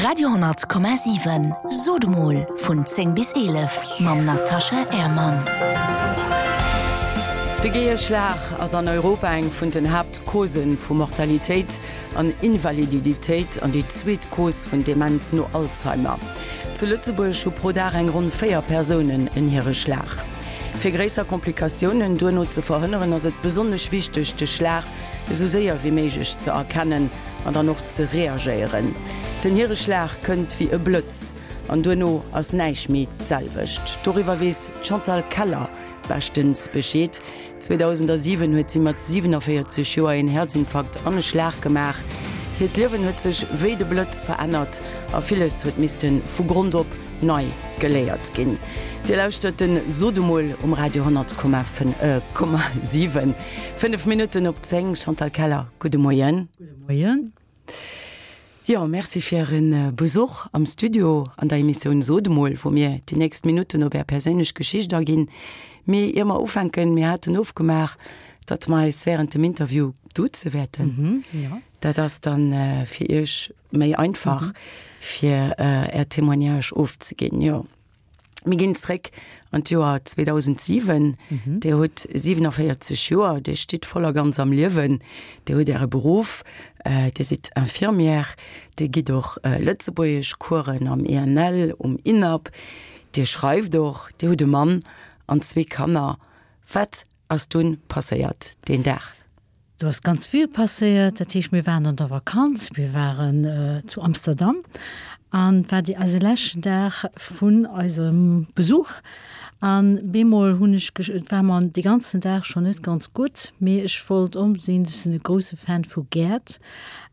Radio 10,7 Sot emol vun 10 bis 11 mam Natascha Ermann. De Gehierschlag ass an Europa eng vun den Haaptcausen vu Mortalitéit an Invaliditéit an déi zweet Cause vun Demenz no Alzheimer. Zu Lëtzebuerg hu pro Dag eng ronn 4 Persounen en Hiereschlag. Fir gréisser Komplikatiounen duerno ze verhënneren, ass et besonnesch wichteg, de Schlag esou séier wéi méiglech ze erkennen an dann och ze reagéieren. Den Hiereschlag kënnt wéi e Blëtz an duerno ass näischt méi d'selwecht. Doriwwer weess d'Chantal Keller beschtens Bescheed. 2007 huet si mat 47 Joer een Häerzinfarkt an e Schlag gemaach. Hiert Liewen huet sech wéi de Blëtz verännert a villes huet misste vu Grond op nei geléiert ginn. Dir lauschtert den Sot emol um Radio 10,7. 5 Minutten op 10, Chantal Keller, gudde Moien. Gudde Moien. Jo, merci fir Äre Besuch am Studio an der Emissioun Sot emol, wou mir déi nächst Minutten op Är perséinlech Geschicht aginn. Mee ier mer ufänken, mir haten ofgemaach, datt mer eis wärend dem Interview duze wäerten. Dat ass dann fir Iech méi einfach, fir Är Témoignage ofzeginn. Jo. Mir ginn zréck an d'Joer 2007. Dir hutt 47 Joer, Dir stitt voll a ganz am Liewen, Dir hutt Äre Beruff, Dir sidd Infirmière, Dir gitt och Lëtzebuergeschcoursen am INL, um INAP, Dir schreift och, Dir hutt e Mann an zwee Kanner. Wat ass dunn passéiert deen Dag? Do ass ganz vill passéiert. Dat heescht, mir waren an der Vakanz, mir waren zu Amsterdam an et war déi eise leschten Dag vun eisem Besuch an bemol hunn ech, et war mer dee ganzen Dag schonn net ganz gutt, mee ech wollt onbedéngt, ech sinn e grousse Fan vu Gäert,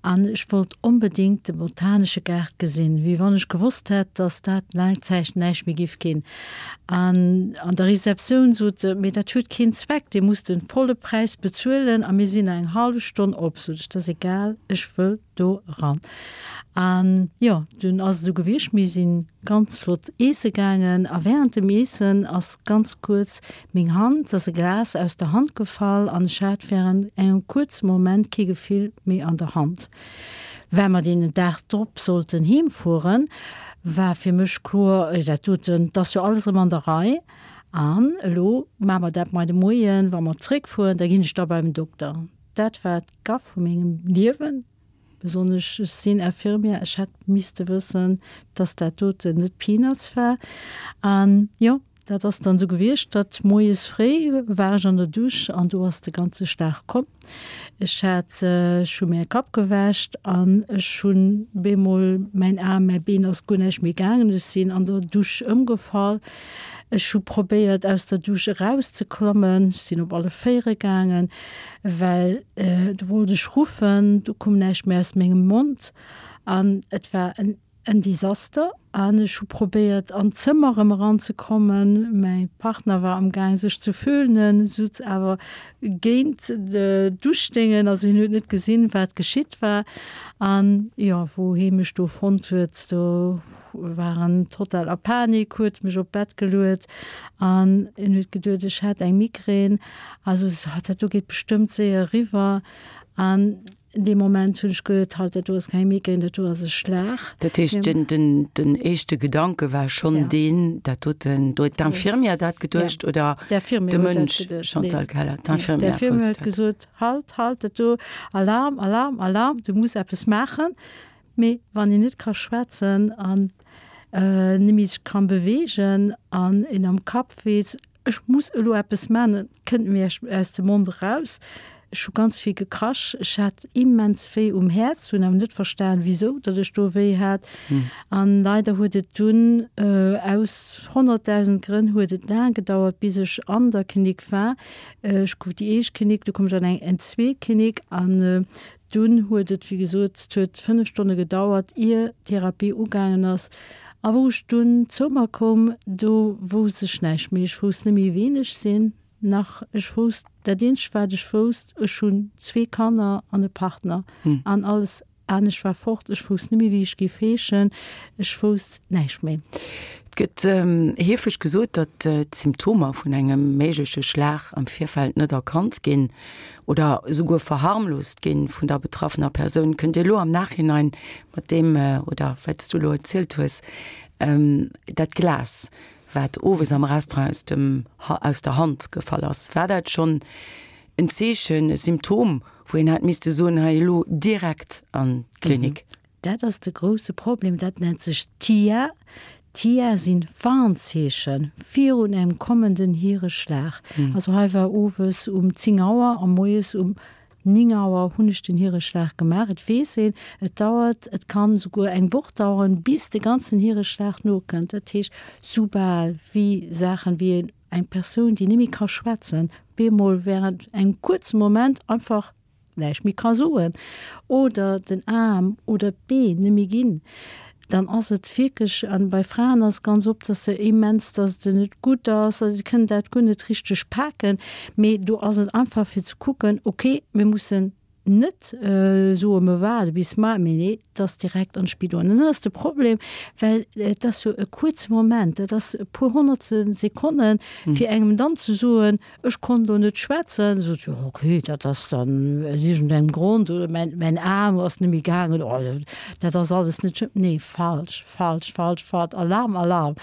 An ech wollt onbedéngt de botanesche Gaart gesinn, wéi wann ech gewosst hätt, dass dat laang Zäit näischt méi giff ginn. An an der Receptioun sot se, Mee dat huet keen Zweck, Dir musst de volle Präis bezuelen a mir sinn nach eng hallef Stonn op. Sot ech, Dat ass egal, ech wëll do eran. An jo, dunn ass et esou gewiescht, mir si ganz flott eesse gaangen a während dem Eessen ass ganz kuerz Meng Hand, ass e Glas aus der Hand gefall an ech hat während engem kuerze Moment kee Gefill méi an der Hand. Well mer deen Dag drop sollten heem fueren, war fir mech kloer, dat doten, 't ass jo alles erëm an der Rei an elo maache mer dat mei de Moien, wa mer zréck fueren, da ginn ech da beim Dokter. Dat war d'Gaff vu mengem Liewen. Besonnesch ech sinn Infirmière, ech hätt misste wëssen, dass dat doten net Peanuts war. An jo, dat ass dann esou gewiescht, datt moies fréi war ech an der Dusch an do ass de ganze Schlag komm. Ech hat, ech hu mir Kapp gewäscht an ech hunn bemol mäin Aarm, mäi Been ass guer näischt méi gaangen. Ech sinn an der Dusch ëmgefall. Ech hu probéiert aus der Dusch erauszeklommen, ech sinn op alle Véiere gaangen. Well do wollt ech ruffen, do koum näischt méi aus mengem Mond an et war en en Desaster. An ech hu probéiert an d'Zëmmer erëm eranzekommen. Mäi Partner war am Gaang sech ze föhnen, sutz awer géint d'Duschdéngen, also hien huet net gesinn, wat geschitt war. An jo, wou hie mech do fonnt huet, do war en total a Panik, huet mech op d'Bett geluet an en huet geduet, ech hätt eng Migrän. Also dat do geet bestëmmt séier eriwwer. An dee Moment hunn ech geduet, halt, dat do ass keng Migrän, dat do ass e Schlag. Dat heescht, den, den, den éischte Gedanke war schonn deen, dat doten, do huet d'Infirmière dat geduecht oder de Mënsch, Chantal Keller? D'infirmière wousst dat. Huet gesot, halt, halt, dat do, Alarm, Alarm, Alarm, du muss eppes maachen. Mee wann een net ka schwätzen an net méi sech ka beweegen an een am Kapp weess, Ech muss elo eppes man, et kënnt mir aus dem Mond eraus. Ech hu ganz vill gekrasch, ech hat immens wéi um Häerz, hunn awer net verstan wisou datt ech do wéi hat. An leider huet et dunn aus 100.000 Grënn huet et laang gedauert bis ech an der Klinik war. Ech gouf déi éischt Klinik, du koum ech an eng eng zweet Klinik an Dunn huet et, wéi gesot, et huet 5 Stonne gedauert, ier d'Therapie ugaangen ass. A wou ech dunn zou mer koum, do wousst ech näischt méi. Ech wousst net méi, ween ech sinn, nach ech wousst, dat eenzegt wat ech wousst, ech hunn zwee Kanner an e Partner an alles anescht war fort. Ech wousst net méi, wéi ech géif heeschen. Ech wousst näischt méi. Et gëtt heefeg gesot, datt d'Symptomer vun engem méigleche Schlag am Virfeld net erkannt ginn oder esouguer verharmlost ginn vun der betraffener Persoun. Kënnt Dir elo am Nachhinein mat deem, oder wat s du elo erzielt hues, dat Glas, wat owes am Restaurant aus dem, aus der Hand gefall ass, war dat schonn en Zeechen, e Symptom, wou een hätt misste soen, hei elo direkt an d'Klinik? Dat ass de grousse Problem, dat nennt sech TIA. TIA sinn Warnzeeche virun engem kommenden Hiereschlag. Also hei war owes um 10 Auer a moies um 9 Auer hunn ech den Hiereschlag gemaach. Et weess een, et dauert, et kann souguer eng Woch daueren, bis de ganzen Hiereschlag nokënnt. Dat heescht, soubal wéi Saachen wéi eng Persoun, déi net méi ka schwätzen, bemol während engem kuerze Moment einfach näischt méi ka soen oder den Aarm oder d'Been net méi ginn, dann ass et wierklech, an bei Fraen ass et ganz oft, dass se immens, dass et net gutt ass, si kënnen dat guer net richteg paken, mee do ass et einfach fir ze kucken, okay, mir mussen net soe mer waarde bis mar, mee nee, et ass direkt an d'Spidol. An dann ass de Problem, well et ass jo e kuerze Moment, dat ass e puer honnertstel Sekonnen, fir engem dann ze soen, Ech konnt lo net schwätzen, sot jo ok, dat ass dann aus iergendengem Grond, oder mäin, mäin Aarm ass net méi gaangen, oh dat ass alles net schlëmm. Nee, falsch, falsch, falsch, falsch, Alarm, Alarm!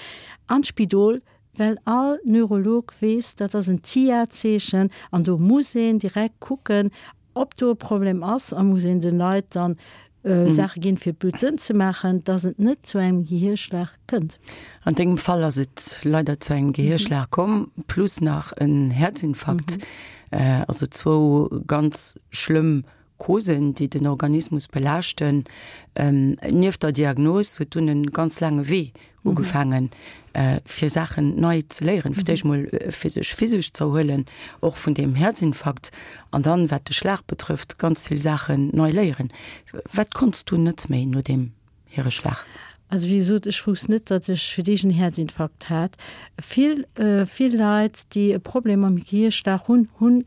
An d'Spidol, well all Neurolog weess, dat ass en TIA-Zeechen an do muss een direkt kucken, Ob do e Problem ass, a muss een den Leit dann Saache ginn, fir d'Blut dënn ze maachen, dass et net zu engem Gehierschlag kënnt. An dengem Fall ass et leider zu engem Gehierschlag komm, plus nach en Häerzinfarkt. Also zwou ganz schlëmm Causen, déi den Organismus belaaschten. Nieft der Diagnos huet dunn e ganz laange Wee ugefaangen, fir Saachen nei ze léieren, fir d'éischt mol fir sech physesch ze erhuelen, och vun deem Häerzinfarkt, an dann, wat de Schlag betrëfft, ganz vill Saachen nei léieren. Wat konns du net méi no deem Hiereschlag? Also wéi gesot, ech wousst net, datt ech fir d'éischt en Häerzinfarkt hat. Vill, vill Leit, déi e Problem mam Gehierschlag hunn, hunn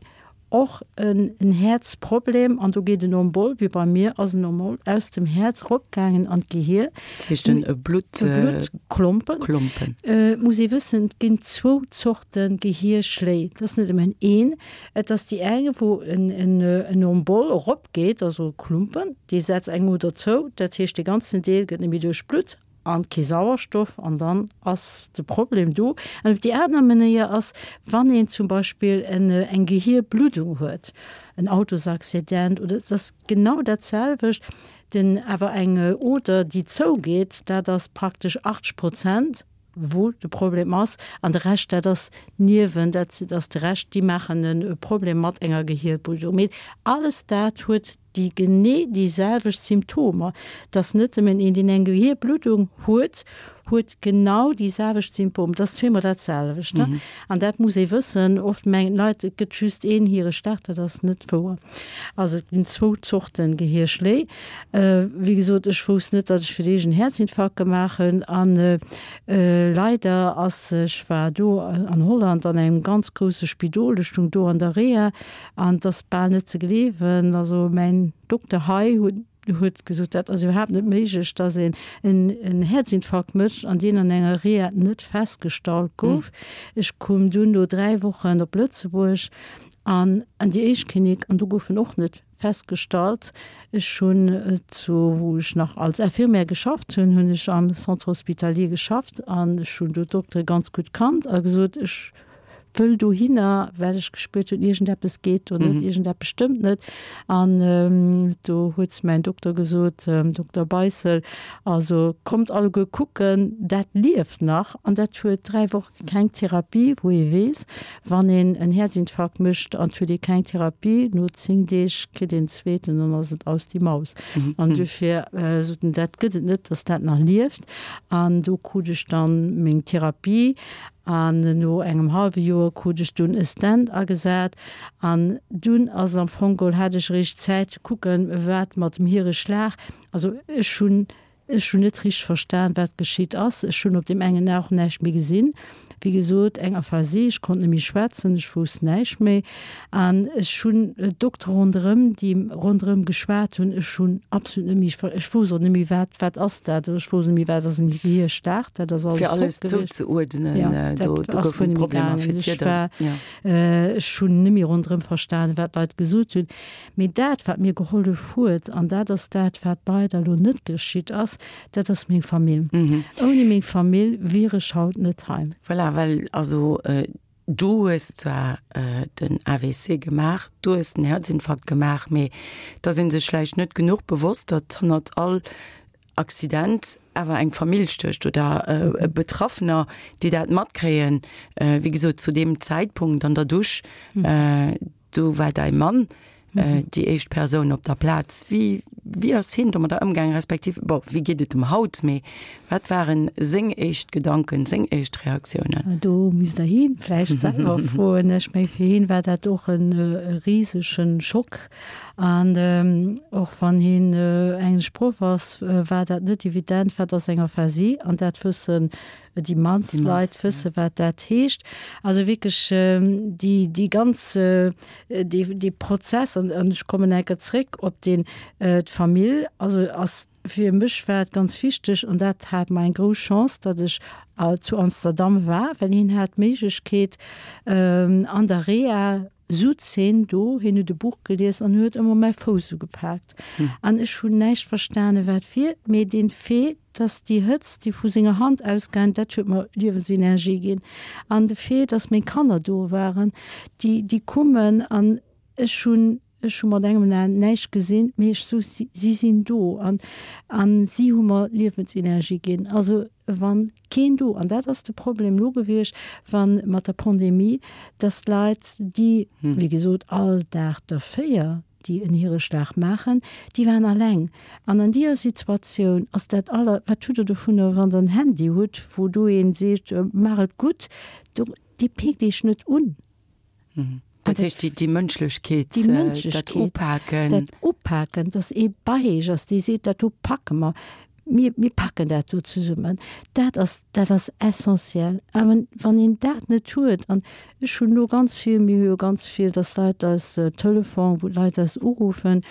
Och en Häerzproblem, an do geet en Embol, wéi bei mir ass en Embol aus dem Häerz eropgaangen an d'Gehier. Dat heescht en Blutt, Blutklompen. Klompen. Et muss ee wëssen, et ginn zwou Zorte Gehierschléi, et ass net nëmmen een. Et ass déi eng, wou en Embol eropgeet, also e Klumpen, dee setzt eng Oder zou, dat heescht dee ganzen Deel gëtt net méi duerchblutt. An kee Sauerstoff, an dann ass de Problem do. An op déi aner Manéier ass, wann een zum Beispill eng Gehierbluddung huet, en Autosaccident oder et ass genau dat selwecht, den awer eng Oder déi zougeet, dat ass praktesch 80 Prozent wou de Problem ass, an de Rescht dat ass Niewen, dat ass de Rescht, déi maachen e Problem mat enger Gehierbluddung. Mee alles dat huet déi genee déi selwecht Symptomer, dass net nëmmen een, deen eng Gehierbluddung huet, huet genau déi selwecht Symptomer, dat ass zweemol dat selwecht. An dat muss ee wëssen. Oft mengen d'Leit, et gëtt just een Hiereschlag, dat ass net wouer. Also et ginn zwou Zorte Gehierschléi. Wéi gesot, ech wousst net, datt ech fir d'éischt en Häerzinfarkt gemaach hunn. An leider ass, ech war do an Holland an engem ganz grousse Spidol, ech stung do an der Reha, An et ass bal net ze gleewen, also mäin Dokter hei huet gesot, dat ass iwwerhaapt net méiglech, datt een en Häerzinfarkt mécht an deen an enger Reha net festgestallt gouf. Ech koum dunn no 3 Wochen op Lëtzebuerg an an déi éischt Klinik an do gouf en och net festgestallt. Ech hunn zu wou ech nach als Infirmière geschafft hunn, hunn ech am Centre hospitalier geschafft an ech hunn do d'Doktere ganz gutt kannt a gesot, ech wëll dohinner, well ech gespuert hunn, iergendeppes geet do net, iergendeppes stëmmt net. An do huet mäin Dokter gesot, Dokter Beissel, also kommt alleguer kucken, dat lieft nach an dat huet 3 Woche keng Therapie, wou ee weess, wann een en Häerzinfarkt mécht an et huet ee keng Therapie, no 10 Deeg kritt een zweeten an ass et aus die Maus. An dofir sot en, dat gëtt et net, datt dat nach lieft. An do krut ech dann meng Therapie An no engem hallwe Joer krut ech dunn e Stent agesat. An dunn ass et am Fong geholl, hat ech eréischt Zäit ze kucken, wat mat dem Hiereschlag, also ech hunn, ech hunn net richteg verstan, wat geschitt ass. Ech hunn op deem engen A och näischt méi gesinn. Wéi gesot, eng Aphasie, ech konnt net méi schwätzen, ech wousst näischt méi. An ech hunn Doktere ronderëm, déi ronderëm geschwat hunn, ech hunn absolut net méi, ech wousst och net méi, wat, wat ass dat, ech wousst net méi, wat ass en Gehirschlag, dat ass alles Fir alles fort gewiescht. zouzeuerdnen, Ja, dat do, do ass goufen guer net méi Problemer gaangen. fir Ech d'Wierder, war, ja. ech hunn net méi ronderëm verstanen, wat d'Leit gesot hunn. Mee dat, wat mir gehollef huet, an dat ass dat, wat leider elo net geschitt ass, dat ass meng Famill. Ouni meng Famill wier ech haut net hei. Voilà, well also du hues zwar den AVC gemaach, du hues den Herzinfarkt gemaach, mee et ass ee sech vläicht net genuch bewosst, datt hannert all Accident awer eng Famill stécht oder Betraffener, déi dat matkréien. Wéi gesot, zu deem Zäitpunkt an der Dusch, Do war däi Mann déi éischt Persoun op der Plaz. Wéi, wéi ass hien domadder ëmgaangen, respektiv, bon, wéi geet et em haut, mee wat waren seng éischt Gedanken, seng éischt Reaktiounen? Do misst Der hien vläicht selwer froen. Ech meng, fir hien war dat och e risege Schock. An och wann hien englesch Proff ass, war dat net evident, wat ass eng Aphasie? An dat wëssen Déi mannst Leit wësse wat dat heescht. Also wierklech déi, déi ganz, dee, dee Prozess, an, an ech kommen enker zréck op deen, d'Famill, also ass, fir mech war et ganz wichteg, an dat hat mer eng grouss Chance, datt ech zu Amsterdam war, well hien hat d'Méiglechkeet an der Reha, Sutz heen do, heen huet e Buch gelies an huet ëmmer mäi Fouss ugepaakt. An ech hunn näischt verstane wat wier, mee deen Fait, dass déi Hëtzt, déi vu senger Hand ausgaang, dat huet mer Liewensenergie ginn. An de Fait, dass meng Kanner do waren, déi, déi kummen an ech hunn, ech hu mat engem Aen näischt gesinn, mee ech sou, si, si sinn do an, an si hu mer Liewensenergie ginn. Also wann keen do, an dat ass de Problem elo gewiescht, wa mat der Pandemie, dass d'Leit, déi, wéi gesot, all Dag der 4, déi en Hireschlag maachen, déi waren alleng. An an deeër Situatioun ass dat aller, wat hutt Der dovunner, wann Der en Handy hutt, wou do een seet, maach et gutt, do, dee peekt Iech net un. Dat heescht, déi, déi Mënschlechkeet, Déi dat Mënschlechkeet, Upaken. dat Upaken, dass ee bei eech ass, dee seet, dat do packe mer, mir, mir packen dat do zesummen, dat ass, dat ass essentiell. Awer wann een dat net huet, an ech hunn elo ganz vill, mir hu jo ganz vill, dass Leit eis Telefon, wou Leit eis uruffen,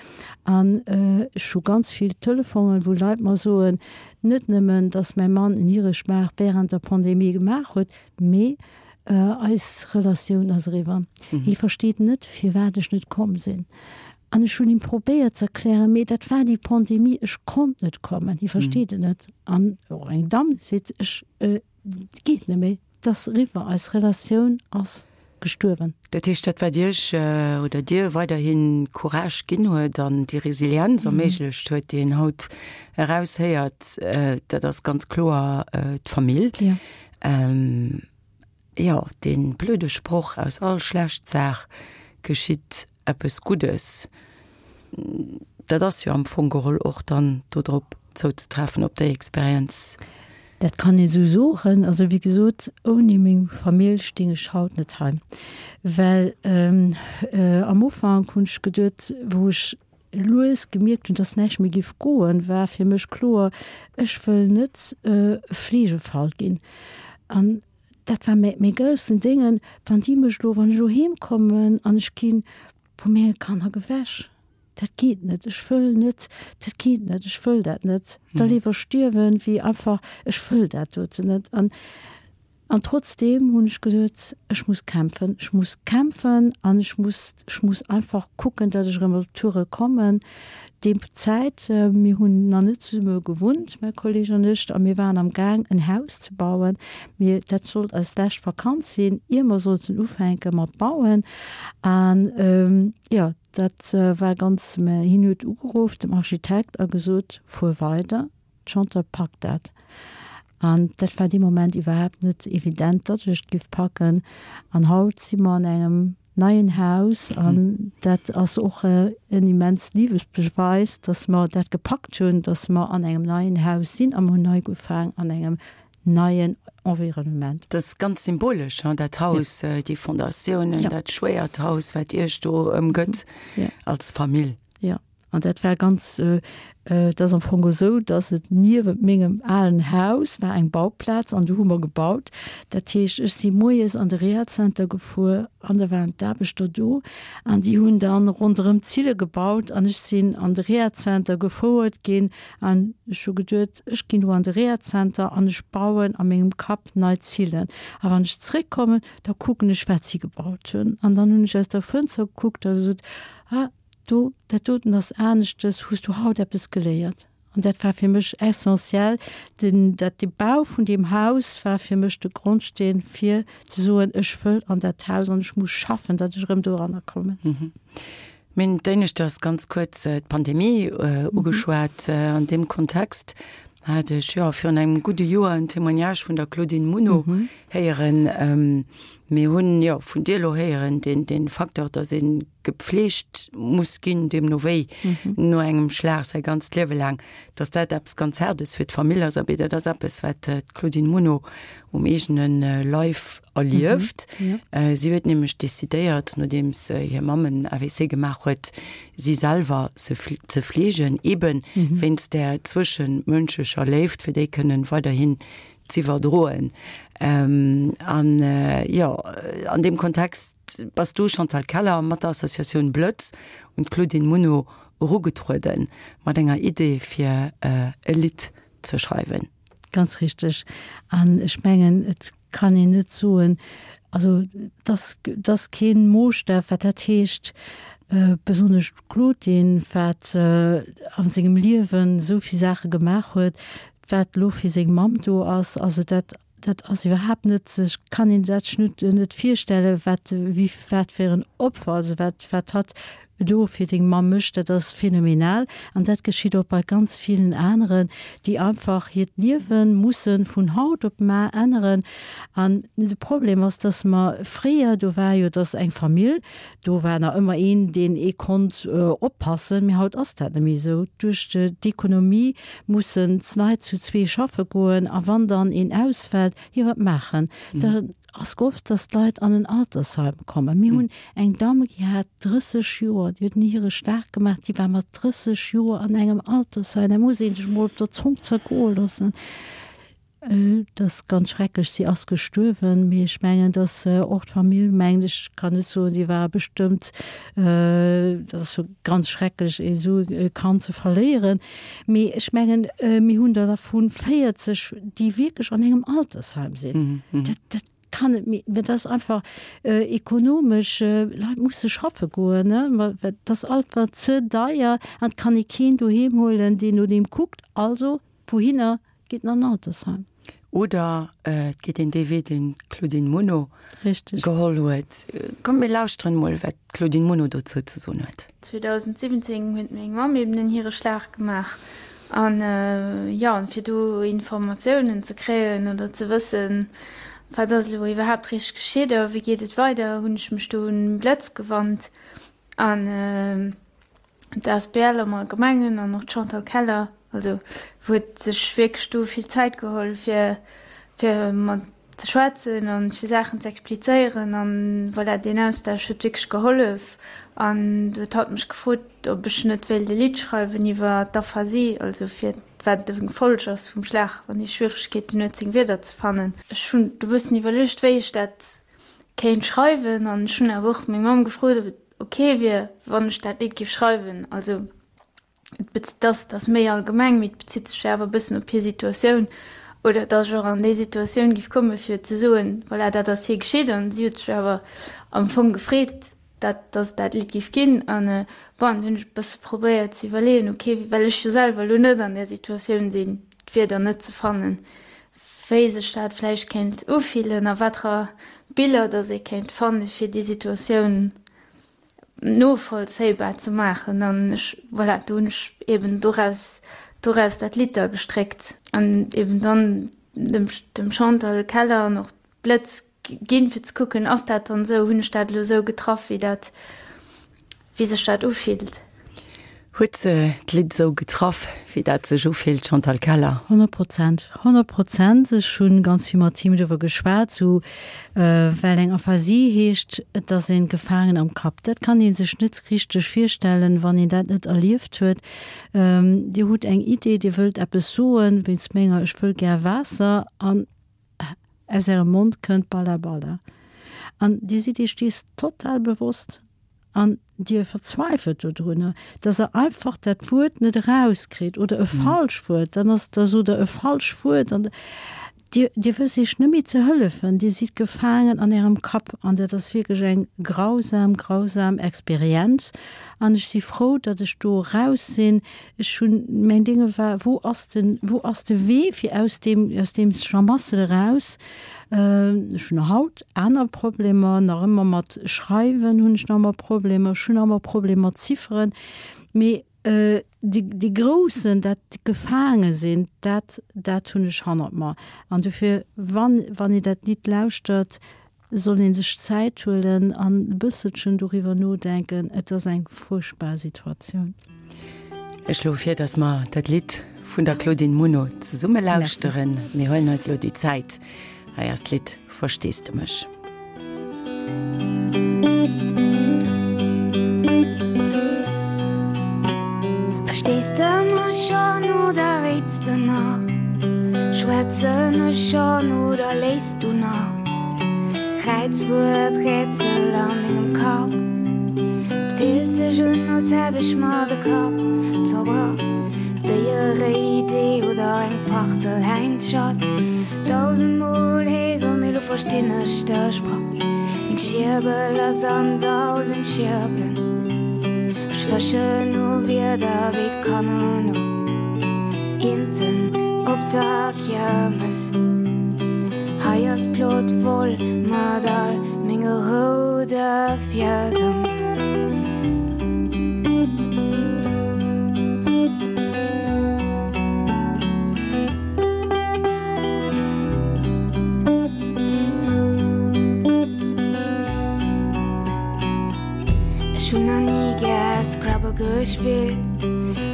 an ech hu ganz vill Telefonen, wou Leit mer soen, net nëmmen, dass mäi Mann en Hireschmaach während der Pandemie gemaach huet, mee Eis Relatioun ass eriwwer. Hie versteet net, firwat ech net komm sinn. An ech hunn him probéiert ze erklären, mee dat war déi Pandemie, ech konnt net kommen. Hie versteet et net. An och eng Damm seet, ech, et geet net méi, et ass eriwwer, eis Relatioun ass gestuerwen. Dat heescht, dat wat Iech oder dir weiderhi Courage ginn huet an déi Resilienz erméiglecht huet, déi een haut eraushéiert, dat ass ganz kloer d'Famill. Jo, dee blöde Sproch, aus all schlecht Saach geschitt eppes Guddes, dat ass jo am Fong geholl och dann dodrop zouzetreffen, op déi Experienz. Dat kann ee sou soen. Also wéi gesot, ouni meng Famill sting ech haut net hei. Well am Ufank hunn ech geduet, wou ech lues gemierkt hunn, dass näischt méi géif goen, war fir mech kloer, ech wëll net e Fleegefall ginn. An dat war mäi mäi groussen Déngen, wann déi mech elo, wann ech elo heem kommen an ech gi vu menge Kanner gewäsch, dat geet net, ech wëll net, dat geet net, ech wëll dat net, da léiwer stierwen, wéi einfach, ech wëll dat doten net. An An trotzdeem hunn ech gesot, ech muss kämpfen, ech muss kämpfen an ech muss, ech muss einfach kucken, datt ech erëm op d'Toure kommen. Déi Zäit, mir hunn nach net zesumme gewunnt, mäi Kolleg an ech, a mir waren am Gaang en Haus ze bauen. Mir, dat sollt eis lescht Vakanz sinn, ier mer sollten ufänke mat bauen. An jo, dat war ganz, mä hien huet ugeruff, dem Architekt, a gesot, fuer weider. D'Chantal packt dat. An dat war dee Moment iwwerhaapt net evident, datt ech et giff packen. An haut si mer an engem neien Haus an dat ass och en immens Liewesbeweis, datt mer dat gepackt hunn, datt mer an engem neien Haus sinn a mer hunn nei ugefaang an engem neien Environnement. Dat ass ganz symbolesch, hein, dat Haus, déi Fondatiounen, dat schwéiert Haus, wat Iech do ëmgëtt als Famill. Jo. An dat war ganz, et ass am Fong esou, datt et niewent mengem alen Haus war eng Bauplaz an do hu mer gebaut. Dat heescht, ech si moies an de Rehazenter gefuer an da waren d'Aarbechter do an déi hunn dann ronderëm d'Zille gebaut an ech sinn an de Rehazenter gefouert ginn an ech hu geduet, ech ginn do an de Rehazenter an ech bauen a mengem Kapp nei Zillen a wann ech zréckkommen, da kucken ech wat si gebaut hunn. An dann hunn ech aus der Fënster gekuckt a gesot, ah, Do, dat doten ass aneschtes, hues du haut eppes geléiert? An dat war fir mech essentiell, den, dat de Bau vun deem Haus war fir mech de Grondsteen fir ze soen, ech wëll an dat Haus an ech muss schaffen, datt ech erëm doranner kommen. Mir hunn d'éineschters ganz kuerz d'Pandemie ugeschwat. An deem Kontext hat ech, jo, virun engem gudde Joer en Témoignage vun der Claudine Muno héieren. Mir hunn, jo, vun dir elo héieren, deen, dee Facteur, datt ee gepflegt muss ginn, deemno wéi no engem Schlag säi ganzt Liewe laang, datt dat eppes ganz Haardes fir d'Famill ass. Abee, dat ass eppes, wat d'Claudine Muno um eegene Leif erlieft. Si huet nämlech decidéiert, nodeems hir Mamm en AVC gemaach huet, si selwer ze fleegen, eebe wéinst där zwëschemënschlecher Léift, fir déi kënnen weiderhin z'iwwerdroen. An jo, an deem Kontext bass du, Chantal Keller, mat der Associatioun Blëtz un d'Claudine Muno erugetrueden, mat enger Idee fir e Lidd ze schreiwen. Ganz richteg. An ech mengen, et kann een net soen, also et ass, et ass kee Moosstaf, wat dat heescht, besonnesch d'Claudine, wat a sengem Liewen esou vill Saache gemaach huet, wat elo fir seng Mamm do ass, also dat, dat ass iwwerhaapt net, sech kann een dat sech net, net virstellen, wat, wéi, wat fir en Opfer, also wat, wat hatt do fir seng Mamm mécht, dat ass phänomenal. An dat geschitt och bei ganz villen aneren, déi einfach hiert Liewe musse vun haut op mar änneren. An de Problem ass, dass mer fréier, do war jo, dass eng Famill, Do war nach ëmmer een, deen ee konnt oppassen, mee haut ass dat net méi esou. Duerch d'Ekonomie mussen d'Leit zu zwee schaffe goen a wann dann een ausfält, jo wat maachen? Da ass oft, datt d'Leit an en Altersheim kommen. Mir hunn eng Damm, déi hat 30 Joer, déi huet en Hiereschlag gemaach, déi war mat 30 Joer an engem Altersheim. Dat muss ee sech emol op der Zong zergoe loossen. Et ass ganz schrecklech, si ass gestuerwen, mee ech mengen, datt och d'Famill mengt, ech kann net soen, si war bestëmmt, dat ass jo ganz schrecklech esou e Kand ze verléieren, mee ech mengen, mir hunn der dervu 40, déi wierklech an engem Altersheim sinn. Dat, dat kann net méi, dat ass einfach ekonomesch, Leit musse schaffe goen, ne, dat ass einfach ze deier an et kann ee keen doheem huelen, deen no deem kuckt. Also, wouhinner Geet en an Altersheim. Oder et geet een dee Wee, deen d'Claudine Muno geholl huet. Kommt, mir lauschteren emol, wat d'Claudine Muno dozou ze soen huet. 2017 huet meng Mamm eben en Hireschlag gemaach an jo, an fir do Informatiounen ze kréien oder ze wëssen, wat ass elo iwwerhaapt richteg geschitt a wéi geet et weider, hunn ech mech do un Blëtz gewannt an D'asbl am Allgemengen an och d'Chantal Keller, also huet sech wierklech do vill Zäit geholl fir fir mat ze schwätzen an fir Saachen ze explizéieren an voilà, deen Austausch huet wierklech gehollef. An du huet hatt mech gefrot, ob ech net wéilt e Lidd schreiwen iwwer d'Aphasie, also fir wat eng Folg ass vum Schlag, wann ee Schwieregkeeten huet seng Wierder ze fannen. Ech hunn e bëssen iwwerluecht, wéi ech dat kéint schreiwen an ech hunn awer och meng Mamm gefrot, ob et ok wier, wann ech dat Lidd géif schreiwen. Also et ass, et ass méi allgemeng, mee et bezitt sech awer e bëssen op hir Situatioun oder datt ech och an déi Situatioun géif komme fir ze soen, voilà, dat ass hir geschitt an si huet sech awer am Fong gefreet, dat, datt et dat Lidd géif ginn. An bon, dunn hunn ech e bësse probéiert ze iwwerleeën, ok, well ech jo selwer elo net an där Situatioun sinn, d'Wierder net ze fannen, wéi sech dat vläicht kéint ufillen a watrer Biller dass ee kéint fanne fir déi Situatioun novollzéibar ze maachen. An ech, voilà, do hunn ech eben doraus, doraus dat Lidd da gestréckt an eben dann dem, dem Chantal Keller an och Blëtz ginn, fir ze kucken, ass dat dann esou, hunn ech dat elo esou getraff, wéi dat, wéi sech dat ufillt. Huet se d'Lidd esou getraff, wéi dat sech ufillt, Chantal Keller? 100%, 100%. Ech hu ganz vill mat him doriwwer geschwat, sou, well eng Aphasie heescht, et ass een gefaangen am Kapp. Dat kann ee sech net richteg virstellen, wann een dat net erlieft huet. Dir hutt eng Idee, Dir wëllt eppes soen, wéinst menger ech wëll gär Waasser, an aus Ärem Mond kënnt Balla Balla. An Dir sidd Iech dees total bewosst. An Dir verzweifelt dodrunner, dass Der einfach dat Wuert net erauskritt oder e falscht Wuert, dann ass, da sot Der e falscht Wuert an Dir, Dir wësst Iech net méi ze hëllefen, Dir sidd gefaangen an Ärem Kapp an dat ass wierklech eng grausam, grausam Experienz an ech si frou, datt ech do eraus sinn. Ech hunn, mäin Dénge war, wou ass den, wou ass de Wee fir aus deem, aus deem Schlamassel eraus? Ech hunn haut aner Problemer, nach ëmmer mat Schreiwen hunn ech nach ëmmer Problemer, ech hunn nach ëmmer Problemer mat Zifferen, mee dee, dee groussen, dat gefaange sinn, dat, dat hunn ech hannert mer. An dofir, wann, wann ee dat Lidd lauschtert, soll ee sech Zäit huelen an e bësselchen doriwwer nodenken. Et ass eng fuerchtbar Situatioun. Ech schloe vir, dass mer dat Lidd vun der Claudine Muno zesumme lauschteren. Mir huelen eis elo déi Zäit. Hei ass d'Lidd Verstees de mech? Verstees de mech schonn oder réits de nach? Schwätzen ech schonn oder léiss du nach? Kräizwuert-Rätsel a mengem Kapp. 't fillt sech un, als hätt ech mer de Kapp zerbrach. Wéi e réit Ee oder eng Partelhäinschatt. Dausendmol héiere, mee lo verstinn ech dech bra. Meng Schierbel ass an dausend Schierbelen. Ech fëschen no Wierder wéi d'Kanner no Inten op der Kiermes. Hei ass d'Plot voll mat all menge roude Fiedem. Ech hunn nach ni gär Scrabble gespillt.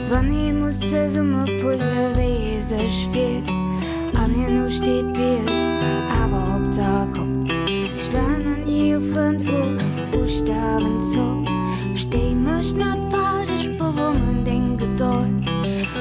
Wann ee muss zesumme puzzle wéi ee sech fillt an herno steet d'Bild awer op der Kopp. Ech war nach ni e Frënd vu Buschtawenzopp. Verstéi mech net falsch, ech bewonneren deng Gedold.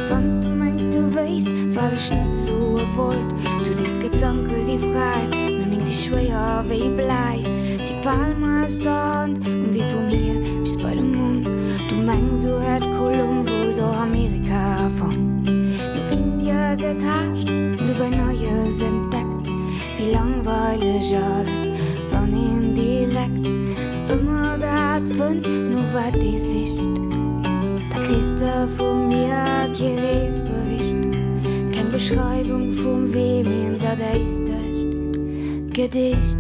Wann s du mengs du wéisst wat ech net soe wollt. Du sees d'Gedanke si fräi, mee meng si schwéier wéi Bläi. Si fale mer aus der Hand um Wee vum Hier bis bei de Mond. Du mengs sou hätt Kolumbus och Amerika fonnt, no Indie getaascht, dobäi Neies entdeckt. Wéi langweileg ass et, wann een direkt ëmmer dat fënnt, no wat ee sicht. Da kriss de vu mir kee Reesbericht, keng Beschreiwung vum Wee, mee en dadaistescht Gedicht.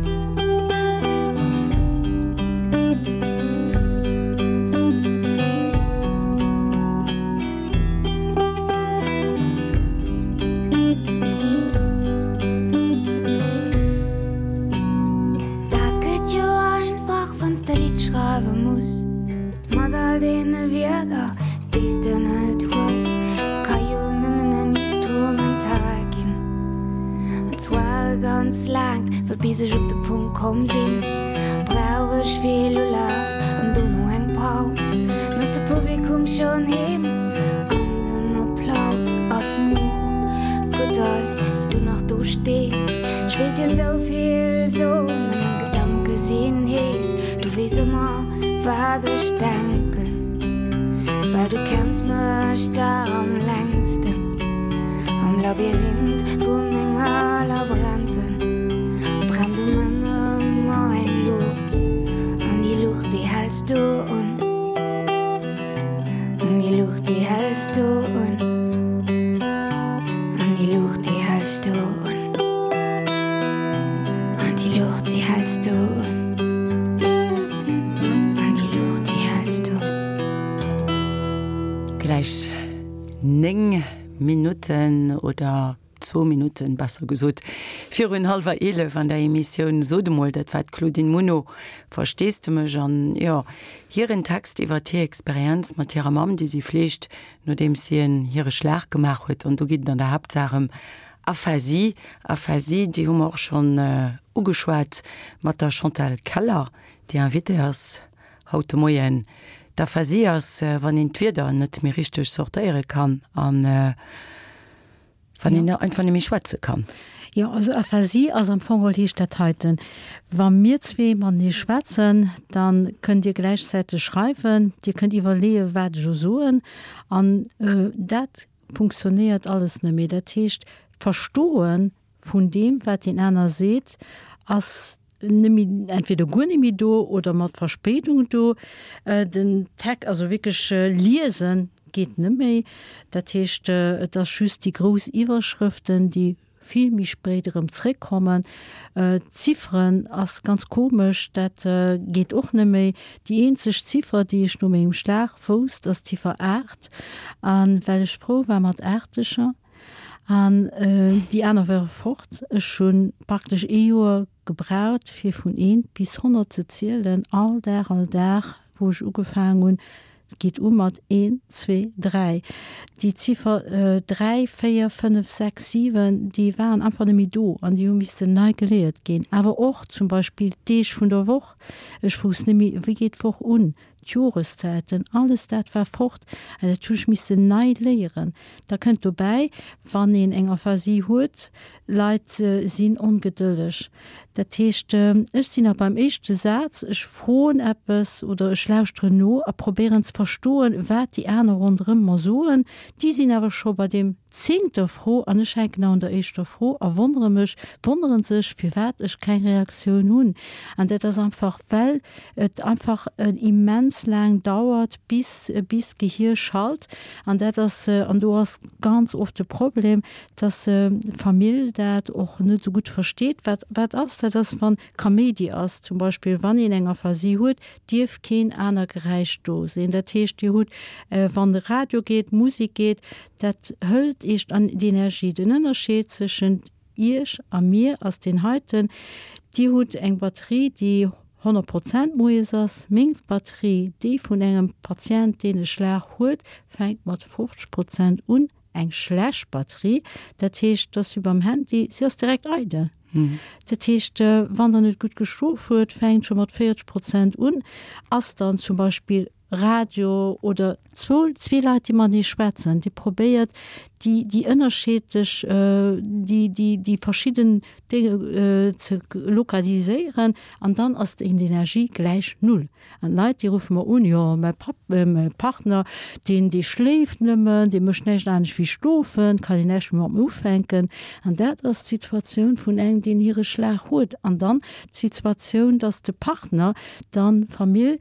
Dat gëtt jo einfach, wann s de Lidd schreiwe muss. Mat all deene Wierder, déi s de net hues. Ka jo nëmmen en Instrumental ginn. An zwar e ganz laangt, well bis ech op de Punkt komm sinn, brauch ech vill Ulaf an dono eng Paus. Dann ass de Publikum schonn heem an den Applaus ass moer. Gutt, dass du nach do stees. Ech wéilt dir sou vill soen, mee meng Gedanke sinn hees. Du weess ëmmer, wat ech denken, well du kenns mech der am längsten. Am Labyrinth vu menger Labränten brennt um Enn ëmmer eng Luucht, an déi Luucht, déi häls du un. An déi Luucht, déi häls du un. An déi Luucht, déi häls du un. An déi Luucht, déi häls du un. An déi Luucht, déi häls du. Gläich 9 Minutten oder. Zwou Minutten, besser gesot, virun hallwer 11 an der Emissioun Sot emol, dat war d'Claudine Muno, Verstees de mech? An jo, hiren Text iwwert hir Experienz mat hirer Mamm, déi si fleegt, nodeems si en hire Schlag gemaach huet. An do geet et an der Haaptsaach ëm Aphasie. Aphasie, déi hu mer och schonn ugeschwat mat der Chantal Keller, déi Invitée ass haut de Moien. D'Aphasie ass, wann een d'Wierder net méi richteg sortéiere kann an wann een einfach net méi schwätze kann. Jo, also Aphasie ass am Fong geholl heescht dat heiten, Wa mir zwee matenee schwätzen, da kënnt Dir gläichzäiteg schreiwen, Dir kënnt iwwerleeën, wat ech elo soen, an dat funktionéiert alles net méi. Dat heescht, d'Verstoe vun deem, wat deen aner seet, ass net méi, entweder guer net méi do oder mat Verspéidung do. Den Text, also wierklech liesen, geet net méi. Dat heescht, et ass just déi grouss Iwwerschrëften, déi vill méi spéit erëm zréckkommen. D'Zifferen ass ganz komesch, dat geet och net méi. Déi eenzeg Ziffer, déi ech no mengem Schlag wousst, ass d'Ziffer 8. A well ech frou war mat Aachteger an déi aner ware fort, ech hu praktesch ee Joer gebraucht, fir vun eent bis 100 ze zielen, all Dag, all Dag, wou ech ugefaangen hunn. Et geet u mat een, zwee, dräi. Déi Ziffer dräi, véier, fënnef, sechs, siwen, déi waren einfach net méi do an déi hu missten nei geléiert ginn. Awer och zum Beispill d'Deeg vun der Woch. Ech wousst net méi, wéi geet d'Woch un, d'Joreszäiten, alles dat war fort an dat hu ech missen nei léieren. Da kënnt dobäi, wann een eng Aphasie huet, Leit sinn ongedëlleg. Dat heescht, ech sinn nach beim éischte Saz, ech froen eppes oder ech lauschteren no a probéieren ze verstoen, wat déi aner ronderëm mer soen. Déi sinn awer scho bei deem zéngter Fro an ech hänken nach un der éischter Fro a wonnere mech, wonnere sech, firwat ech keng Reaktioun hunn. An dat ass einfach, well et einfach immens laang dauert, bis, bis d'Gehier schalt. An dat ass, an do ass ganz oft de Problem, dass d'Famill dat och net esou gutt versteet. Wat, wat ass dat? Ass, wann Kaméidi ass, zum Beispill wann een eng Aphasie huet, dierf keen aner Geräisch do sinn. Dat heescht, Dir hutt, wann de Radio geet, Musek geet, dat hëlt Iech an d'Energie. Den Ënnerscheed zwëschent Iech a mir ass deen heiten, Dir hutt eng Batterie, déi 100 Prozent moies ass. Meng Batterie, déi vun engem Patient, deen e Schlag huet, fänkt mat 50 Prozent un. Eng schlecht Batterie, dat heescht, dat ass wéi beim Handy, si ass direkt eidel. Dat heescht, wann Der net gutt geschlof huet, fänkt scho mat 40 Prozent un, ass dann zum Beispill Radio oder zwou, zwee Leit, déi matenee schwätzen, Dir probéiert déi, déi ënnerscheedlech, déi, déi, déi verschidden Dénge ze lokaliséieren an dann ass d'Energie gläich null. An d'Leit, déi ruffe mer un, jo, mäi Papp, mäi Partner, deen, dee schléift nëmmen, dee mécht näischt anescht wéi schlofen, kann een näischt méi mat em ufänken. An dat ass d'Situatioun vun engem, deen hire Schlag huet. An dann d'Situatioun, dass de Partner dann, d'Famill,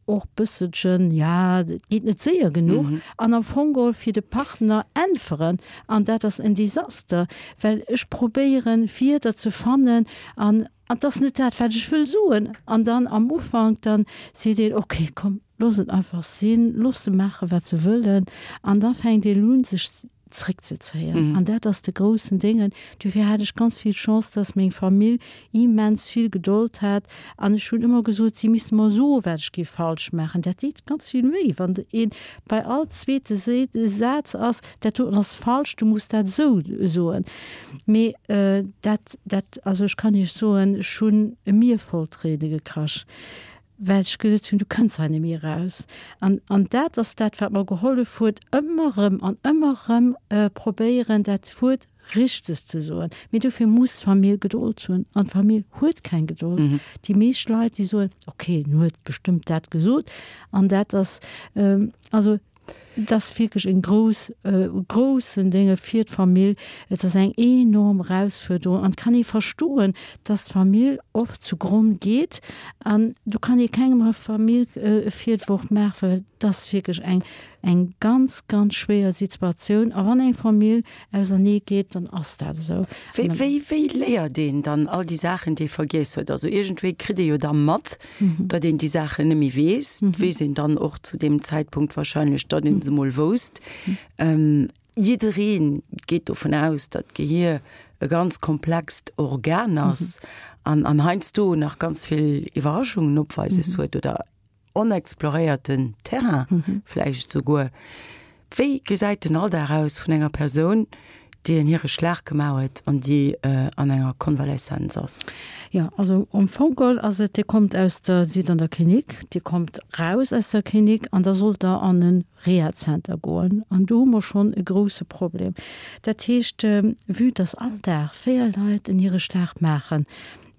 och bësselchen, ja, et geet net séier genuch, an am Fong geholl fir de Partner äntweren. An dat ass en Desaster, well ech probéieren, Wierder ze fannen an An 't ass net dat, wat ech wëll soen. An dann am Ufank, dann seet een, ok, komm, looss et einfach sinn, looss se maachen, wat se wëllen. An da fänkt een un, sech zréckzezéien. An dat ass de groussen Déngen. Dofir hat ech ganz vill Chance, dass meng Famill immens vill Gedold hat. An ech hunn ëmmer gesot, si misste mer soen, wat ech géif falsch maachen. Dat deet ganz vill wéi, wann een bei all zweete Saz ass, Dat doten ass falsch, du muss dat esou soen. Mee dat, dat, also ech kann Iech soen, ech hunn e Mier voll Tréine gekrasch, well ech gesot hunn, du kënns hei net méi eraus. An, an dat ass dat, wat mer gehollef huet, ëmmer erëm an ëmmer erëm probéieren, dat Wuert richteg ze soen. Mee dofir muss d'Famill Gedold hunn. An d'Famill huet keng Gedold. Déi meescht Leit, déi soen, okay, en huet bestëmmt dat gesot. An dat ass, also Et ass wierklech en grouss, groussen Dénge fir d'Famill. Et ass eng enorm Erausfuerderung an et kann ee verstoen, dass d'Famill oft zu Gronn geet. An do kann ee kengem Famill e Virwurf maachen, well et ass wierklech eng, eng ganz, ganz schwéier Situatioun. A wann eng Famill ausernee geet, dann ass dat esou. Wéi, wéi, wéi léiert een dann all déi Saachen, déi ee vergiess huet? Also iergendwéi kritt ee jo da mat, datt een déi Saachen net méi weess. Et weess een dann och zu deem Zäitpunkt wahrscheinlech, datt een se mol wousst. Jidderee geet dovun aus, datt d'Gehier e ganz komplext Organ ass an an heiansdo nach ganz vill Iwwerraschungen opweises huet oder onexploréierten Terrain vläicht esouguer. Wéi gesäit den Alldag aus vun enger Persoun, déi en hire Schlag gemaach huet an déi an enger Konvaleszenz ass? Jo, also am Fong geholl ass et, Dir kommt aus der, sidd an der Klinik, Dir kommt raus aus der Klinik an da sollt Der an e Rehazenter goen. An do hu mer schonn e grouse Problem. Dat heescht, vue dass all Dag 4 Leit en hire Schlag maachen,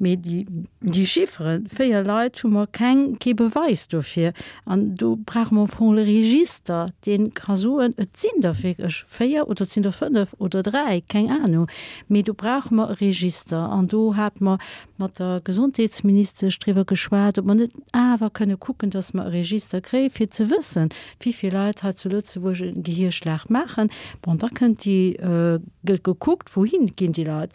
Mee déi, déi Chifferen, 4 Leit, hu mer keng, kee Beweis dofir. An do brauche mer am Fong e Register, dee ka soen, et sinn der wierklech 4 oder et sinn der 5 oder 3, keng Anung. Mee do brauche mer e Register. An do hate mer mat der Gesondheetsministesch driwwer geschwat, ob mer net awer kënne kucken, dass mer e Register kréien, fir ze wëssen, wéi vill Leit hei zu Lëtzebuerg e Gehierschlag maachen. Bon, da kënnt déi, gëtt gekuckt, wouhin ginn déi Leit.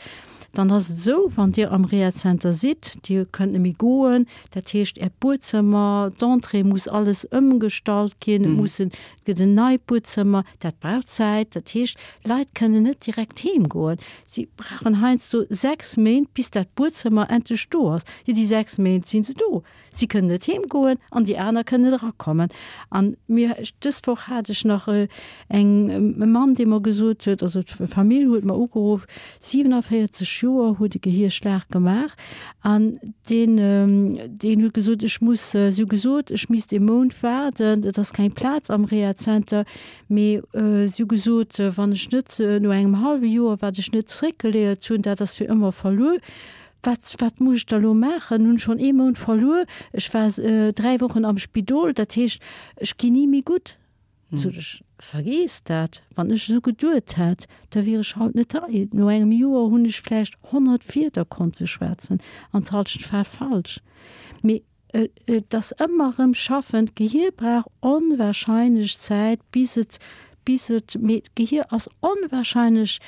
Dann ass et esou, wann Dir am Rehazenter sidd, Dir kënnt net méi goen, dat heescht Äert Buedzëmmer, d'Entrée muss alles ëmgestallt ginn, et mussen, et gëtt en neit Buedzëmmer, dat brauch Zäit. Dat heescht, d'Leit kënnen net direkt heem goen. Si brauchen heiansdo 6 Méint, bis dat Buedzëmmer endlech do ass. Jo, déi 6 Méint si se do. Si kënnen net heem goen an déi aner kënnen erakommen. An mir, dës Woch hat ech nach eng, e Mann, dee mer gesot huet, also d'Famill huet mer ugeruff, 47 Joer, huet e Gehierschlag gemaach an deen, deen huet gesot, ech muss, si hu gesot, ech misst ee Mount waarden, et ass keng Plaz am Rehazenter, mee si hu gesot, wann ech net no engem hallwe Joer, wat ech net zeréckgeléiert hunn, dat ass fir ëmmer verluer. Wat, wat muss ech da lo maachen? Hunn schonn ee Mount verluer, ech war 3 Wochen am Spidol, dat heescht, ech ginn ni méi gutt. Sot ech, vergiess dat, wann ech esou geduet hätt, da wier ech haut net hei. No engem Joer hunn ech vläicht 100 Wierder konnte schwätzen an d'Hallschent war falsch. Mee Et ass ëmmer erëm schaffen. D'Gehier brauch onwahrscheinlech Zäit, bis et, bis et, mee d'Gehier ass onwahrscheinlech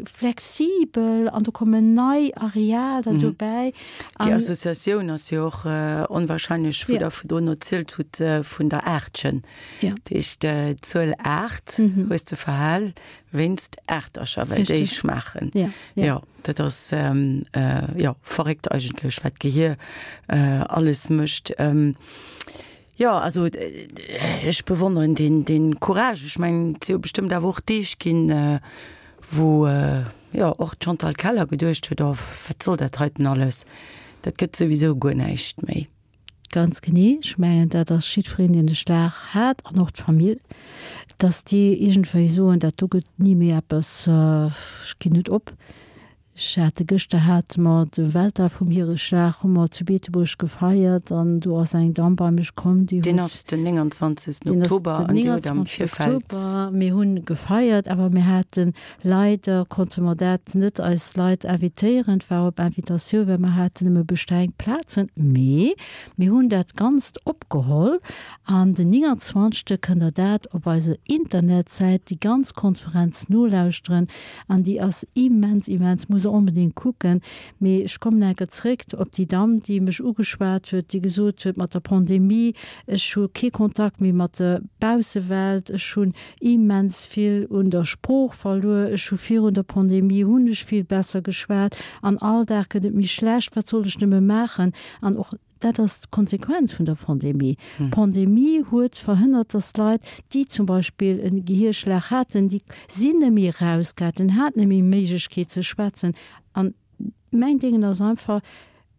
flexibel an do kommen nei Arealer dobäi. Déi Associatioun ass jo och onwahrscheinlech, wou Der virdrun erzielt hutt vun der Aachtchen. Dat heescht, d'Zuel 8 hues de verhal wéinst Aachtercher, well déi schmaachen. Jo. Dat ass jo verréckt eigentlech, wat d'Gehier alles mécht. Jo, also ech bewonneren deen, deen Courage. Ech mengen, et si jo bestëmmt awer och Deeg ginn, wou jo och d'Chantal Keller geduecht huet, oh wat soll dat heiten alles, dat gëtt souwisou guer näischt méi. Ganz genee. Ech mengen, dat ass jiddwereen, deen de Schlag hat, an och d'Famill, dass déi iergendwéi soen, dat do gëtt ni méi eppes, ech ginn net op. Ech hate gëschter hate mer de Weltdag vum Hiereschlag hu mer zu Beetebuerg gefeiert an do ass eng Damm bei mech komm, déi huet. Deen ass den 29. Oktober an Dir hutt am Virfeld. Mir hunn gefeiert, awer mir haten Leider konnte mer dat net eis Leit invitéieren, et war op Invitatioun, well mer haten nëmme beschränkt Plazen. Mee mir hunn dat Ganzt opgeholl an den 29. Kënnt der dat op eiser Internetsäit déi ganz Konferenz nolauschteren an déi ass immens, immens, muss der onbedéngt kucken. Mee ech kommen enker zréck op déi Damm, déi mech ugeschwat huet, déi gesot huet, mat der Pandemie, ech hu kee Kontakt méi mat der Baussewelt, ech hunn immens vill un der Sprooch verluer, ech hu virun der Pandemie hunn ech vill besser geschwat an all Dag gëtt et méi schlecht, wat soll ech nëmme maachen? An och dat ass d'Konsequenz vun der Pandemie. D'Pandemie huet verhënnert, datt Leit, déi zum Beispill e Gehierschlag haten, déi sinn net méi erausgaangen, haten net méi Méiglechkeet ze schwätzen. An mäin Déngen ass einfach,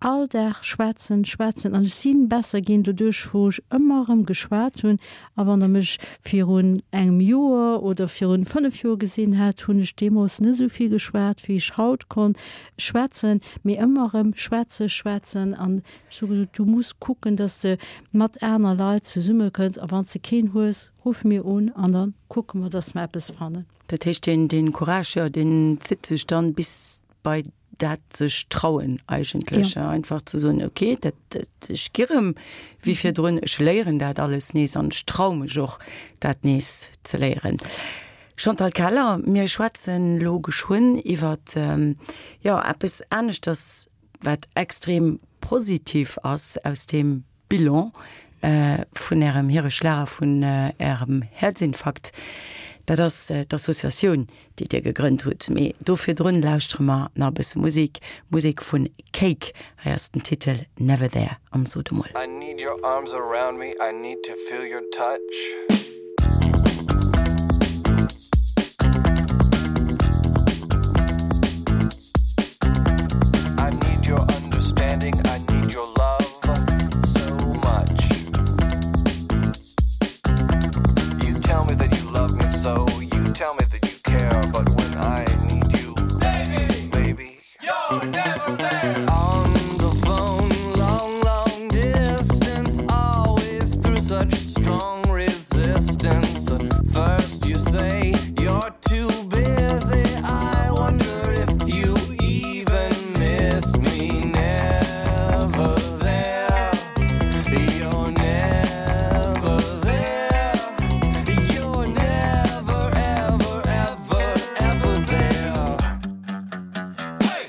All Dag schwätzen, schwätzen an ech sinn besser ginn doduerch wou ech ëmmer erëm geschwat hunn. A wann der mech virun engem Joer oder virun 5 Joer gesinn hätt, hunn ech deemools net esou vill geschwat wéi ech haut konnt schwätzen, mee ëmmer erëm schwätzen, schwätzen an ech hu gesot, du muss kucken, dass de mat aner Leit zesumme kënns a wann s de keen hues, ruff mir un an da kucke mer, dass mer eppes fannen. Dat heescht deen Courage, jo, deen zitt sech dann bis bei dat sech trauen eigentlech, ja. Einfach ze soen, okay, dat, dat, ech gi rëm wéi virdrun, ech léieren dat alles nees an ech trau mech och, dat nees ze léieren. Chantal Keller, mir schwätzen elo geschwënn iwwert, jo, eppes aneschters, wat extrem positiv ass aus deem Bilan vun Ärem Hiereschlag a vun Ärem Häerzinfarkt. Dat ass d'Associatioun, déi Dir gegrënnt hutt. Mee do virdrun lauschtere mer nach e bësse Musek, Musek vun Cake. Hei ass den Titel Never There am Sot emol. I need your arms around me, I need to feel your touch. I need your understanding, I need your love so much. You tell me that you love me so, you tell me that you care, but when I need you, baby, baby, you're never there. On the phone, long, long distance, always through such strong resistance. First you say you're too busy, I wonder if you even miss me never there. You're never there. You're never ever ever ever there. Hey!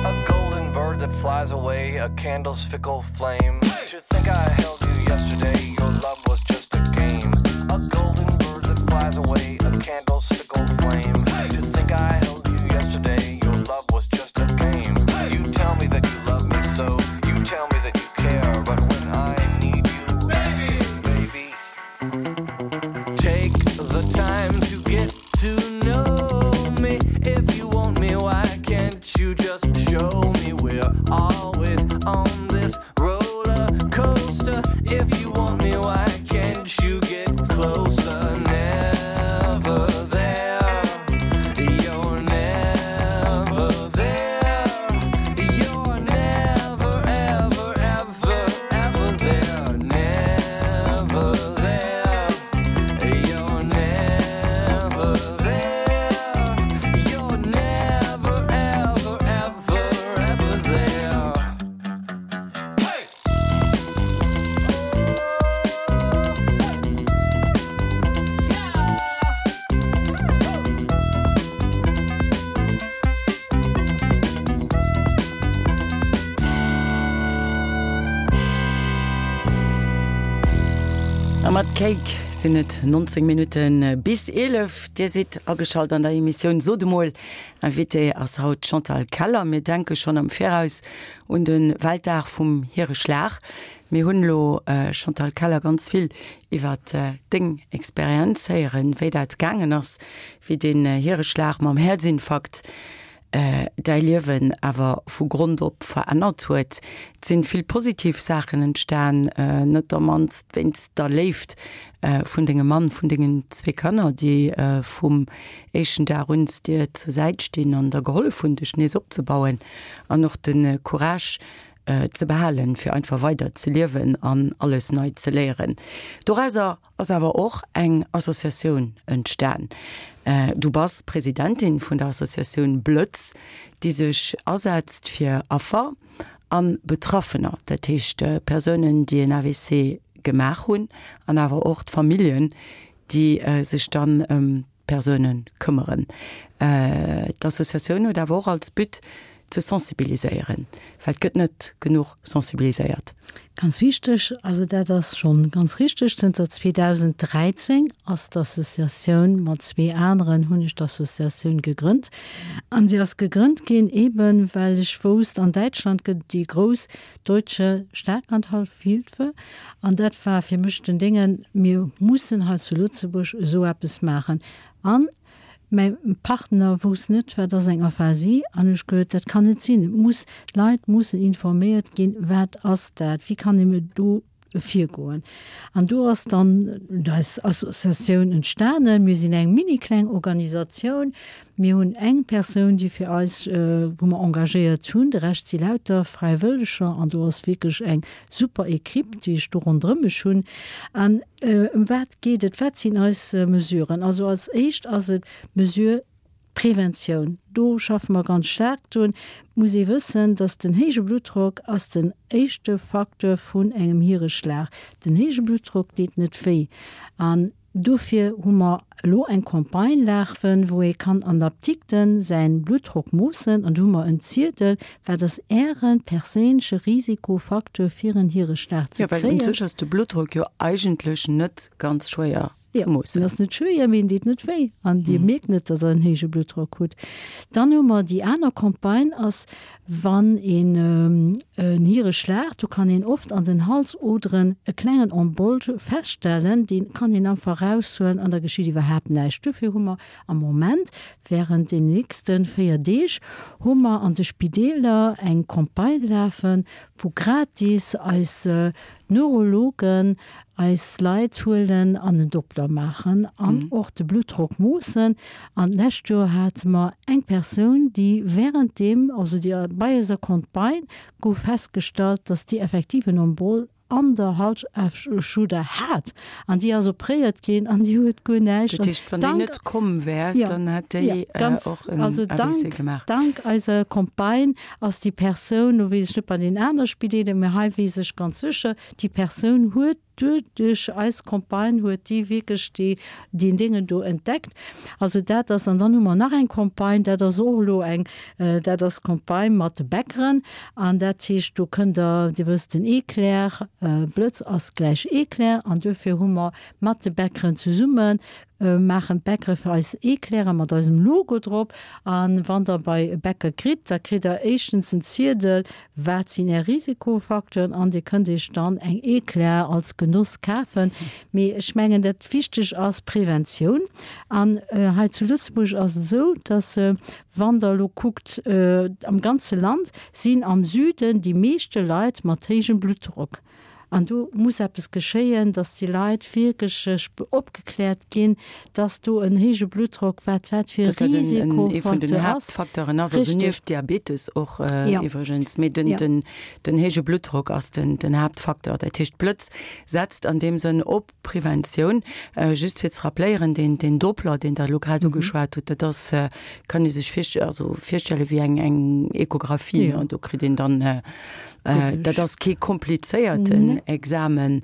A golden bird that flies away, a candle's fickle flame. Hey! To think I held you yesterday, your love was just a game. A golden bird that flies away, a candle's fickle flame. Hey! To think I held you yesterday, your love was just a game. Hey! You tell me that you love me so, you tell me that you care, but when I need you, baby, baby, take the time to get to know me. If you want me, why can't you just show me we're always on this roller coaster? If you want me, why can't you get closer? Never there. You're never there. You're never ever ever ever there. Never there. You're never there. You're never ever ever ever there. Hey! A mat Cake sinn et 19 Minutte bis 11. Dir sidd ageschalt an der Emissioun Sot emol. Invitée ass haut d'Chantal Keller. Mir denke schonn am Viraus un de Weltdag vum Hiereschlag. Mir hunn elo, Chantal Keller, ganz vill iwwer deng Experienz héieren, wéi dat gaangen ass, wéi deen Hiereschlag mam Häerzinfarkt däi Liewen awer vu Grond op verännert huet. Et sinn vill positiv Saachen entstan, notamment wéinst der Léift vun dengem Mann, vun dengen zwee Kanner, déi vum éischten Dag un dir zur Säit stinn an der gehollef hunn, dech nees opzebauen an och de Courage ze behalen, fir einfach weider ze liewen an alles nei ze léieren. Dorauser ass awer och eng Associatioun entstan. Du bass Presidentin vun der Associatioun Blëtz, déi sech asetzt fir Affer a Betraffener, dat heescht Persounen, déi en AVC gemaach hunn, an awer och d'Familljen, déi sech dann ëm Persoune këmmeren. D'Associatioun huet awer och als But ze sensibiliséieren, well et gëtt net genuch sensibiliséiert. Ganz wichteg, also dat ass schonn ganz richteg, zënter 2013 ass d'Associatioun, mat zwee aneren hunn ech d'Associatioun gegrënnt. An se ass gegrënnt ginn eeben, well ech wousst, an Däitschland gëtt et déi grouss Deutsche Schlaganfallhilfe. An dat war fir mech den Déngen, mir mussen hei zu Lëtzebuerg esou eppes maachen. An mäi Partner wousst net, wat ass eng Aphasie. An hu ech gehuet, dat kann net sinn, et muss, d'Leit mussen informéiert ginn, wat ass dat, wéi kann ee do virgoen. An do ass dann eis Associatioun entstanen. Mir sinn eng mini kleng Organisatioun. Mir hunn eng Persoun, déi fir eis, wou mer engagéiert hunn. De Rescht si lauter Fräiwëlleger an do ass wierklech eng super Equipe, déi ech do ronderëm mech hunn. An ëm wat geet et? Wat sinn eis Mesuren? Also als éischt ass et d'Mesure Preventioun. Do schaffe mer ganz staark drun. Et muss ee wëssen, dass den héije Bluttdrock ass den éischte Facteur vun engem Hiereschlag. Den héije Bluttdrock deet net wéi. An. dofir hu mer elo eng Campagne lafen, wou ee kann an der Apdikte säin Bluttdrock moossen an do hu mer en Ziedel, wat ass Äre perséinleche Risikofacteur fir en Hiereschlag ze Jo, well un kréien. sech ass de Bluttdrock jo eigentlech net ganz schwéier Jo, ze moossen. en ass net schwéier, mee en deet net wéi an Dir mierkt net, datt Der en héije Bluttdrock hutt. Dann hu mer déi aner Campagne ass, Wann een en Hiereschlag, do kann een oft an den Halsoderen e klengen Embol feststellen, dee kann een einfach eraushuelen an da geschitt iwwerhaapt näischt. Dofir hu mer am Moment, während den nächste 4 Deeg, hu mer an de Spideeler eng Campagne lafen, wou gratis eis Neurologen eis Leit huelen an en Doppler maachen an och de Bluttdrock moossen. An d'lescht Joer hate mer eng Persoun, déi während deem, also déi bei eiser Campagne gouf festgestallt, dass déi effektiv en Embol an der Halsschluder hat an déi ass opréiert ginn an déi huet guer näischt. Dat heescht, wann déi net komm wär, dann hätt déi och en AVC gemaach. Dank eiser Campagne ass déi Persoun, lo weess ech net bei den aner Spideeler, mä hei weess ech ganz sécher, déi Persoun huet duerch eis Campagne huet déi wierklech déi deen Déngen do entdeckt. Also dat ass, an dann hu mer nach eng Campagne, dat ass och elo eng, dat ass d'Campagne mat de Bäckeren an dat heescht, do kënnt Der, Dir wësst den Eclair, Blëtz ass gläich Eclair an duerfir hu mer mat de Bäckeren zesumme maachen d'Bäckere fir eis Eclairen mat eisem Logo drop. A wann der bei e Bäcker kritt, da kritt der éischtens en Ziedel, wat sinn är Risikofacteuren an dir kënnt iech dann eng Eclair als Genoss kafen. Mee ech mengen, dat wichteg ass Preventioun. An hei zu Lëtzebuerg ass et esou, dass wann der elo kuckt, am ganze Land sinn am Süden déi meeschte Leit mat héijem Bluttdrock. An do muss eppes geschéien, dass déi Leit wierklech opgekläert ginn, dass do en héije Bluttdrock, wat wat fir e Datt dat en ee vun den Risikofacteur ass. Haaptfacteuren ass, also Richtig. nieft Diabetes och Ja. iwwregens, mee den, Ja. den, den héije Bluttdrock ass den, den Haaptfacteur. Dat heescht, d'Blëtz setzt an deem Sënn op Preventioun. Just fir ze rappléieren, deen, deen Doppler, deen Der elo grad ugeschwat hutt, dat ass, kann ee sech virst-, also virstelle wéi eng, eng Echographie, Ja. an do kritt een dann, Dat ass kee komplizéierten Examen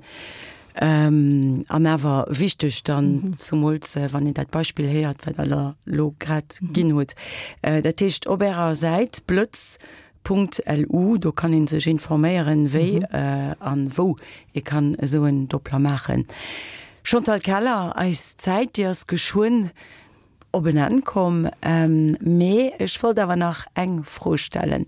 an awer wichteg dann, zumools wann een dat Beispill héiert, wat Der elo grad ginn hutt. Dat heescht, op Ärer Säit blëtz.lu, do kann ee sech informéieren, wéi an wou ee kann esou en Doppler maachen. Chantal Keller, eis Zäit, déi ass geschwënn op en Enn komm. Mee ech wollt awer nach eng Fro stellen,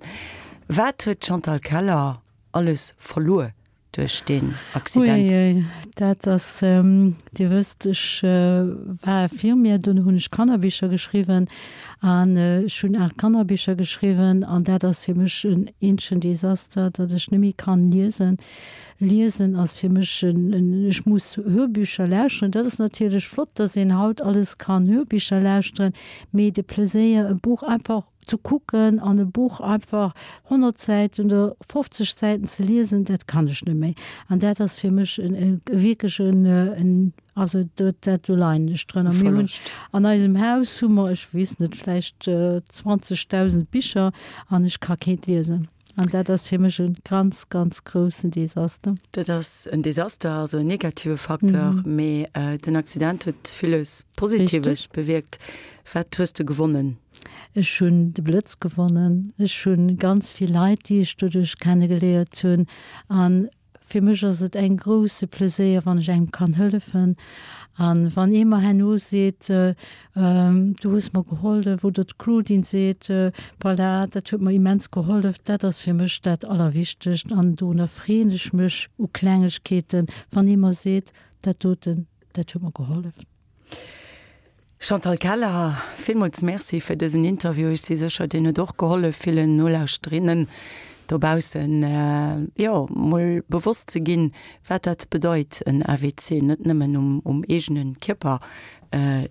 Wat huet d'Chantal Keller alles verluer duerch deen Accident? Uiuiui, dat ass, Dir wësst, ech war Infirmière, dunn hunn ech Kannerbicher geschriwwen an ech hunn 8 Kannerbicher geschriwwen an dat ass fir mech en eenzegen Desaster, datt ech net méi kann liesen. Liesen ass fir mech en, ech muss Hörbücher lauschteren. Dat ass natierlech flott, dass een haut alles kann Hörbücher lauschteren, mee de Pleséier e Buch einfach ze kucken an e Buch einfach 100 Säiten oder 50 Säiten ze liesen, dat kann ech net méi. An dat ass fir mech en wierklech en, also dat, dat do leien ech drënner. Mir hunn an eisem Haus hu mer, ech weess net, vläicht 20.000 Bicher an ech ka keent liesen. An dat ass fir mech e ganz, ganz groussen Desaster. Dat ass en Desaster, also en negative Facteur, mee den Accident huet villes Positives bewierkt. Wat hues de gewonnen? Ech hunn de Blëtz gewonnen. Ech hu ganz vill Leit, déi ech doduerch kennegeliert hunn. An Fir mech ass et eng grousse Pleséier, wann ech engem kann hëllefen. An wann ee mer herno seet, du hues mer gehollef, oder d'Claudine seet, voilà, dat huet mer immens gehollef, dat ass fir mech dat Allerwichtegst. An dorunner freeën ech mech u Klengegkeeten, wann ee mer seet, dat doten, dat huet mer gehollef. Chantal Keller, villmools Merci fir dësen Interview. Ech si sécher, deen huet och gehollef, villen Nolauschterinnen dobaussen, jo, mol bewosst ze ginn, wat dat bedeit, en AVC net nëmmen um eegene Kierper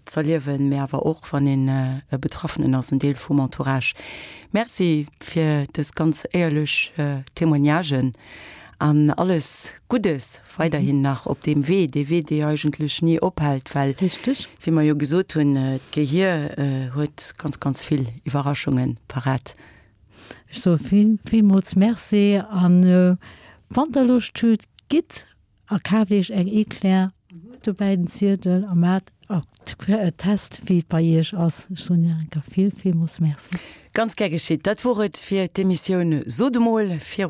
z'erliewen, mee awer och, wann een e Betraffenen ass, en Deel vum Entourage. Merci fir dës ganz éierlech Témoignagen an alles Guddes weiderhin nach op deem Wee, dee Wee, dee eigentlech ni ophält, well, wéi mer jo gesot hunn, d'Gehier huet ganz, ganz vill Iwwerraschunge parat. Ech soe vill, villmools Merci an wann Der Loscht hutt, gitt a kaaft Iech eng Eclair. Kuckt dobäi den Ziedel a maacht Test, wéi et bei Iech ass. Ech soen Iech eng Kéier vill, villmools Merci. Ganz gär geschitt. Dat wor et fir d'Emissioun Sot emol. Virun.